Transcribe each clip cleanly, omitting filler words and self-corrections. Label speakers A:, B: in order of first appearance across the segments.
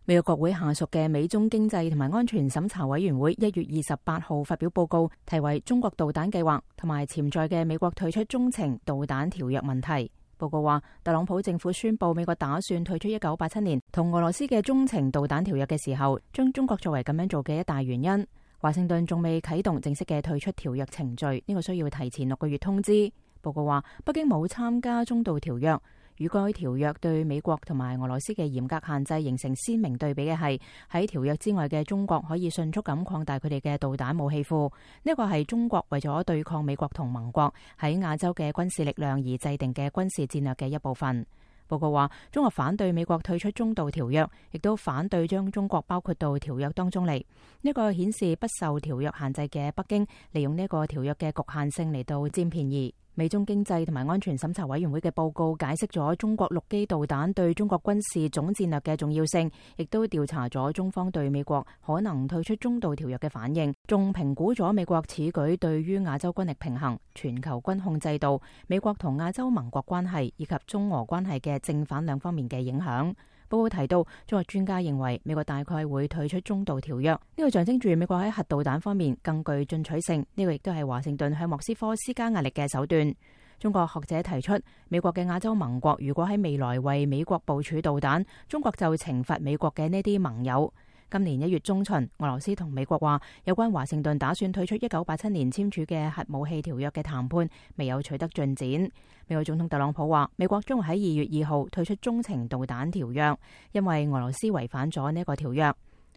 A: 美國國會下屬嘅美中經濟同埋安全審查委員會1月28號發表報告，題為中國導彈計劃同埋潛在嘅美國退出中程導彈條約問題。報告話，特朗普政府宣布美國打算退出1987年同俄羅斯嘅中程導彈條約嘅時候，將中國作為咁樣做嘅一大原因。華盛頓仲未啟動正式嘅退出條約程序，呢個需要提前6個月通知。報告話，北京冇參加中導條約。與該條約對美國同埋俄羅斯嘅嚴格限制形成鮮明對比嘅係，喺條約之外嘅中國可以迅速咁擴大佢哋嘅導彈武器庫。呢個係中國為咗對抗美國同盟國喺亞洲嘅軍事力量而制定嘅軍事戰略嘅一部分。報告話，中國反對美國退出中導條約，亦都反對將中國包括到條約當中嚟。呢個顯示不受條約限制嘅北京利用呢個條約嘅局限性嚟到佔便宜。美中經濟同埋安全審查委員會嘅報告解釋咗中國陸基導彈對中國軍事總戰略嘅重要性，亦都調查咗中方對美國可能退出中導條約嘅反應，仲評估咗美國此舉對於亞洲軍力平衡、全球軍控制度、美國同亞洲盟國關係以及中俄關係嘅正反兩方面嘅影響。報告提到，中國專家認為美國大概會退出中導條約，呢個象徵住美國喺核導彈方面更具進取性，呢個亦都係華盛頓向莫斯科施加壓力嘅手段。中國學者提出，美國嘅亞洲盟國如果喺未來為美國部署導彈，中國就懲罰美國嘅呢啲盟友。今年1月中旬，俄羅斯同美國話有關華盛頓打算退出1987年簽署嘅核武器條約嘅談判未有取得進展。美國總統特朗普話，美國將會喺2月2號退出中程導彈條約，因為俄羅斯違反咗呢個條約。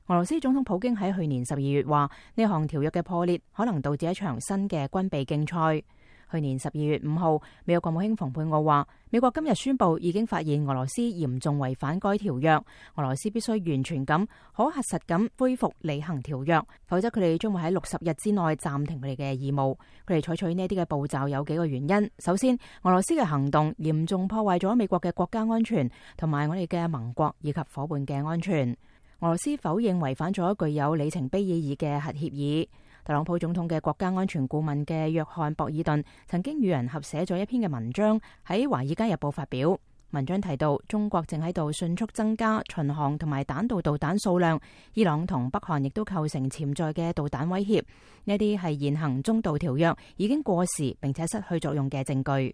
A: 俄羅斯總統普京喺去年12月話，呢項條約嘅破裂可能導致一場新嘅軍備競賽。去年12月5號，美國國務卿蓬佩奧話，美國今日宣布已經發現俄羅斯嚴重違反該條約，俄羅斯必須完全咁可核實咁恢復履行條約，否則佢哋將會喺60日之內暫停佢哋嘅義務。佢哋採取呢啲嘅步驟有幾個原因。首先，俄羅斯嘅行動嚴重破壞咗美國嘅國家安全同埋我哋嘅盟國以及伙伴嘅安全。俄羅斯否認違反咗具有里程碑意義嘅核協議。特朗普總統嘅國家安全顧問嘅約翰博爾頓曾經與人合寫咗一篇嘅文章喺《華爾街日報》發表。文章提到，中國正喺度迅速增加巡航同埋彈道導彈數量，伊朗同北韓亦都構成潛在嘅導彈威脅。呢啲係現行中導條約已經過時並且失去作用嘅證據。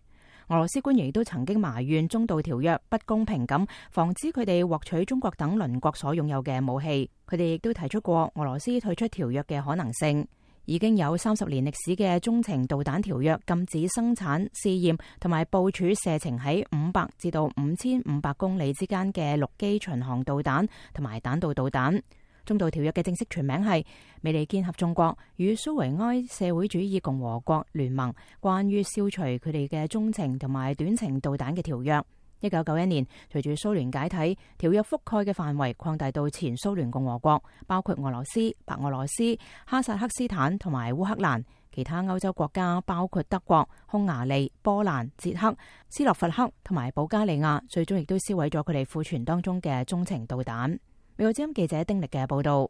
A: 俄羅斯官員亦都曾經埋怨中導條約不公平咁防止佢哋獲取中國等鄰國所擁有嘅武器。佢哋亦都提出過俄羅斯退出條約嘅可能性。已經有30年歷史嘅中程導彈條約禁止生產、試驗同埋部署射程喺500至到5500公里之間嘅陸基巡航導彈同埋彈道導彈。中導條約嘅正式全名係美利堅合眾國與蘇維埃社會主義共和國聯盟關於消除佢哋嘅中程同埋短程導彈嘅條約。1991年，隨住蘇聯解體，條約覆蓋嘅範圍擴大到前蘇聯共和國，包括俄羅斯、白俄羅斯、哈薩克斯坦同埋烏克蘭。其他歐洲國家包括德國、匈牙利、波蘭、捷克、斯洛伐克同埋保加利亞，最終亦都銷毀咗佢哋庫存當中嘅中程導彈。美國之音記者丁力嘅報道。